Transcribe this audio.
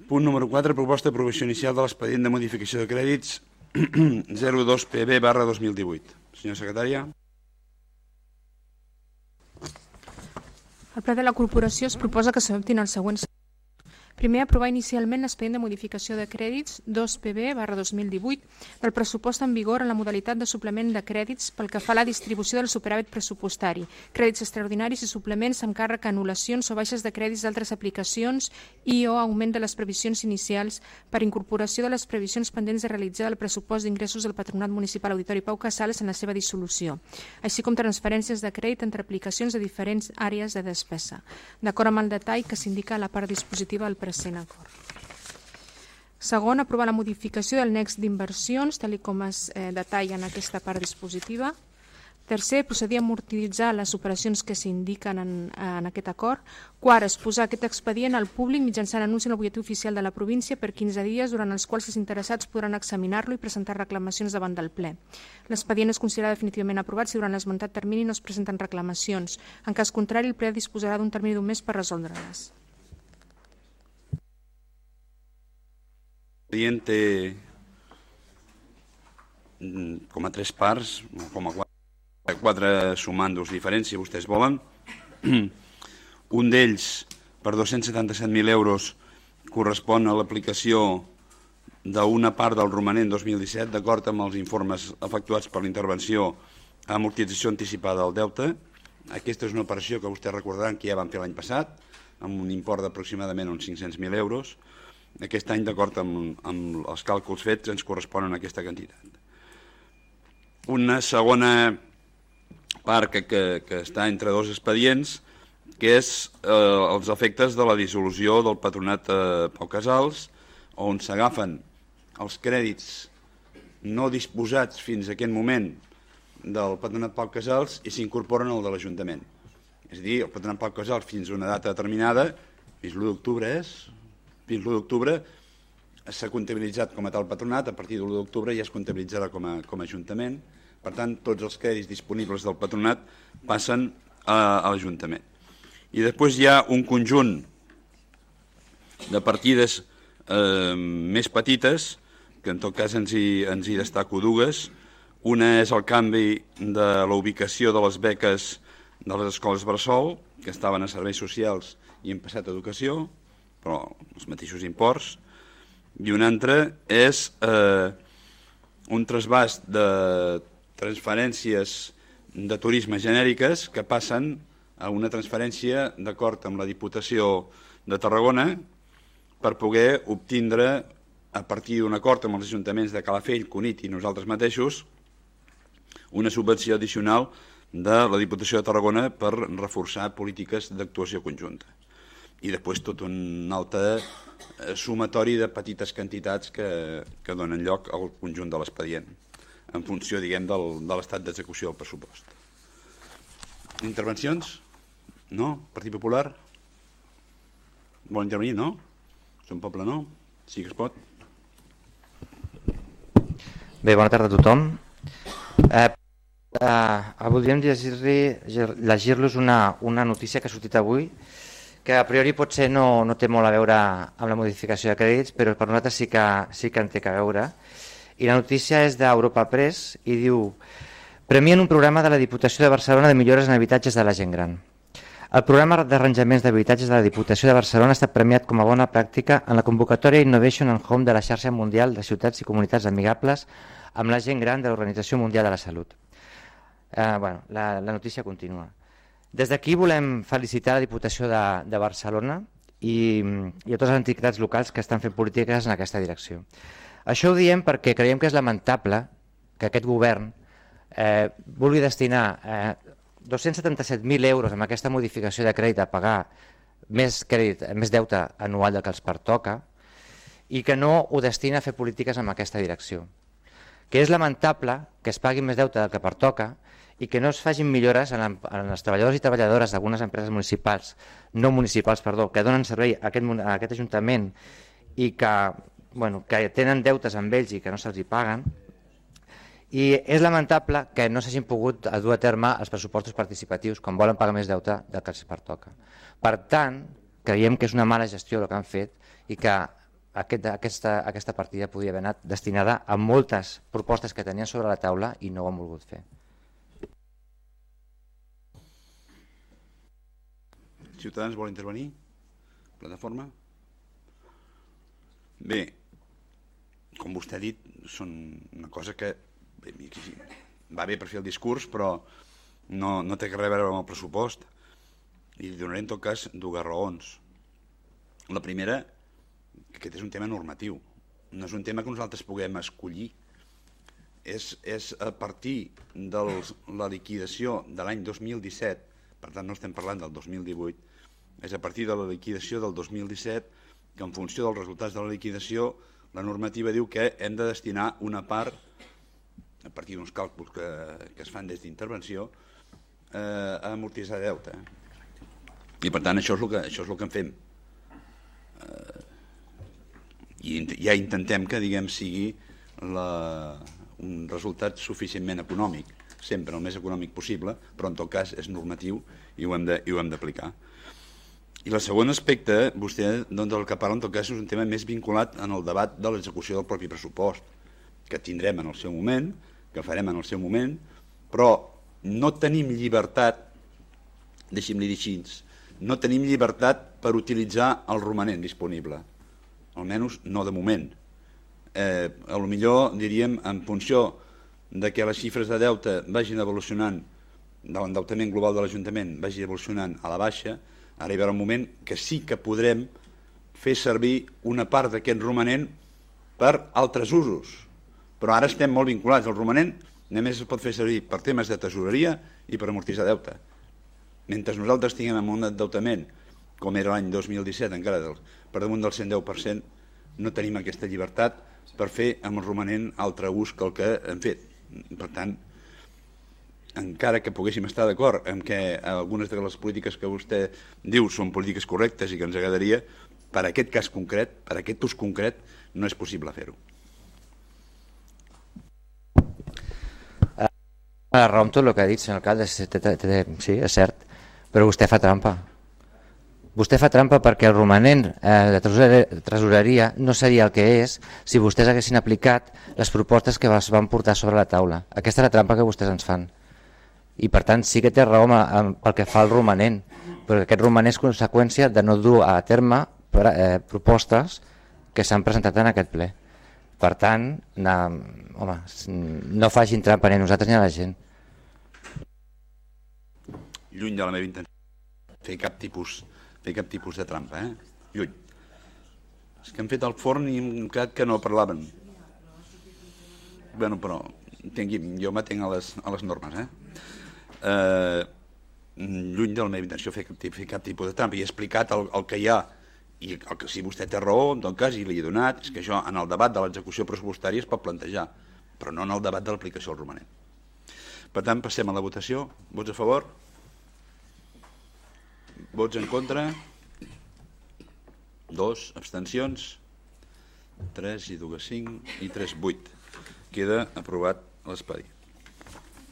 Punt número 4, proposta d'aprovació inicial de l'expedient de modificació de crèdits 02PB/2018. Senyora secretària. Al ple de la corporació es proposa que s'adoptin els següents. Primer, aprovar inicialment l'expedient de modificació de crèdits 2PB/2018 del pressupost en vigor en la modalitat de suplement de crèdits pel que fa a la distribució del superàvit pressupostari, crèdits extraordinaris i suplements amb càrrec a anul·lacions o baixes de crèdits d'altres aplicacions i o augment de les previsions inicials per incorporació de les previsions pendents de realitzar el pressupost d'ingressos del Patronat Municipal Auditori Pau Casals en la seva dissolució, així com transferències de crèdit entre aplicacions de diferents àrees de despesa, d'acord amb el detall que s'indica a la part dispositiva del present acord. Segon, aprovar la modificació del nex d'inversions, tal com es detalla en aquesta part dispositiva. Tercer, procedir a amortitzar les operacions que s'indiquen en aquest acord. Quart, exposar aquest expedient al públic mitjançant anunci en el butlletí oficial de la província per 15 dies, durant els quals els interessats podran examinar-lo i presentar reclamacions davant del ple. L'expedient es considera definitivament aprovat si durant l'esmentat termini no es presenten reclamacions. En cas contrari, el ple disposarà d'un termini d'un mes per resoldre-les. L'expedient té com a 3 parts, com a 4 sumandos diferents, si vostès volen. Un d'ells, per 277.000 euros, correspon a l'aplicació d'una part del romanent 2017, d'acord amb els informes efectuats per l'intervenció a amortització anticipada del deute. Aquesta és una operació que vostès recordaran que ja vam fer l'any passat, amb un import d'aproximadament uns 500.000 euros. Aquest any, d'acord amb els càlculs fets, ens corresponen a aquesta quantitat. Una segona part que està entre dos expedients, que és els efectes de la dissolució del Patronat Pau Casals, on s'agafen els crèdits no disposats fins a aquest moment del Patronat Pau Casals i s'incorporen al de l'Ajuntament. És a dir, el Patronat Pau Casals fins a una data determinada, fins l'1 d'octubre s'ha comptabilitzat com a tal patronat, a partir de l'1 d'octubre ja es comptabilitzarà com a Ajuntament. Per tant, tots els crèdits disponibles del patronat passen a l'Ajuntament. I després hi ha un conjunt de partides més petites, que en tot cas ens hi destaco dues. Una és el canvi de la ubicació de les beques de les escoles bressol, que estaven a serveis socials i han passat a educació, però els mateixos imports. I una altra és un trasbàs de transferències de turisme genèriques que passen a una transferència d'acord amb la Diputació de Tarragona per poder obtindre, a partir d'un acord amb els ajuntaments de Calafell, Cunit i nosaltres mateixos, una subvenció addicional de la Diputació de Tarragona per reforçar polítiques d'actuació conjunta. I després tot un altre sumatori de petites quantitats que donen lloc al conjunt de l'expedient, en funció, diguem, de l'estat d'execució del pressupost. Intervencions? No? Partit Popular? Vol intervenir, no? Som Poble, no? Sí que es pot. Bé, bona tarda a tothom. Voldríem llegir-los una notícia que ha sortit avui, que a priori potser no té molt a veure amb la modificació de crèdits, però per nosaltres sí que en té a veure. I la notícia és d'Europa Press i diu: premien un programa de la Diputació de Barcelona de millores en habitatges de la gent gran. El programa d'arranjaments d'habitatges de la Diputació de Barcelona ha estat premiat com a bona pràctica en la convocatòria Innovation and Home de la xarxa mundial de ciutats i comunitats amigables amb la gent gran de l'Organització Mundial de la Salut. La notícia continua. Des d'aquí volem felicitar la Diputació de Barcelona i a totes les entitats locals que estan fent polítiques en aquesta direcció. Això ho diem perquè creiem que és lamentable que aquest govern vulgui destinar 277.000 euros amb aquesta modificació de crèdit a pagar més deute anual del que els pertoca i que no ho destina a fer polítiques en aquesta direcció. Que és lamentable que es pagui més deute del que pertoca i que no es facin millores en els treballadors i treballadores d'algunes empreses que donen servei a aquest Ajuntament i que tenen deutes amb ells i que no se'ls hi paguen. I és lamentable que no s'hagin pogut dur a terme els pressupostos participatius quan volen pagar més deute del que els pertoca. Per tant, creiem que és una mala gestió el que han fet i que aquesta partida podria haver anat destinada a moltes propostes que tenien sobre la taula i no ho han volgut fer. Ciutadans vol intervenir? Plataforma? Bé, com vostè ha dit, són una cosa que va bé per fer el discurs, però no té res a veure amb el pressupost. I li donaré en tot cas dues raons. La primera, que aquest és un tema normatiu, no és un tema que nosaltres puguem escollir. És a partir de la liquidació de l'any 2017, per tant no estem parlant del 2018, és a partir de la liquidació del 2017 que en funció dels resultats de la liquidació la normativa diu que hem de destinar una part, a partir d'uns càlculs que es fan des d'intervenció, a amortitzar deute. I per tant això és el que en fem. I ja intentem que sigui un resultat suficientment econòmic, sempre el més econòmic possible, però en tot cas és normatiu i ho hem d'aplicar. I el segon aspecte, vostè del que parla en tot cas és un tema més vinculat en el debat de l'execució del propi pressupost, que tindrem en el seu moment, que farem en el seu moment, però no tenim llibertat, deixi'm-li dir així, no tenim llibertat per utilitzar el romanent disponible, almenys no de moment. A lo millor diríem en funció de que les xifres de deute vagin evolucionant, de l'endeutament global de l'Ajuntament vagi evolucionant a la baixa, arribarà un moment que sí que podrem fer servir una part d'aquest romanent per altres usos, però ara estem molt vinculats. El romanent només es pot fer servir per temes de tesoreria i per amortitzar deute. Mentre nosaltres tinguem un endeutament, com era l'any 2017, encara per damunt del 110%, no tenim aquesta llibertat per fer amb el romanent altre ús que el que hem fet. Per tant, encara que poguéssim estar d'acord en que algunes de les polítiques que vostè diu són polítiques correctes i que ens agradaria, per aquest cas concret, per aquest ús concret, no és possible fer-ho. La raó amb tot el que ha dit, senyor alcalde, sí, és cert, però vostè fa trampa. Vostè fa trampa perquè el romanent de tresoreria no seria el que és si vostès haguessin aplicat les propostes que es van portar sobre la taula. Aquesta és la trampa que vostès ens fan. I per tant sí que té raó pel que fa al romanent, perquè aquest romanent és conseqüència de no dur a terme propostes que s'han presentat en aquest ple. Per tant, home, no facin trampa ni a nosaltres ni a la gent. Lluny de la meva intenció fer cap tipus de trampa, lluny. És que han fet el forn i hem quedat que no parlaven. Bueno, però jo m'atenc a les normes, lluny de la meva intenció fer cap tipus de trampa. I he explicat el que hi ha, i el que si vostè té raó, en tot cas, i li he donat, és que això en el debat de l'execució pressupostària es pot plantejar, però no en el debat de l'aplicació del romanent. Per tant, passem a la votació. Vots a favor? Vots en contra? 2, abstencions? 3 i 2, 5 i 3, 8. Queda aprovat l'expedient.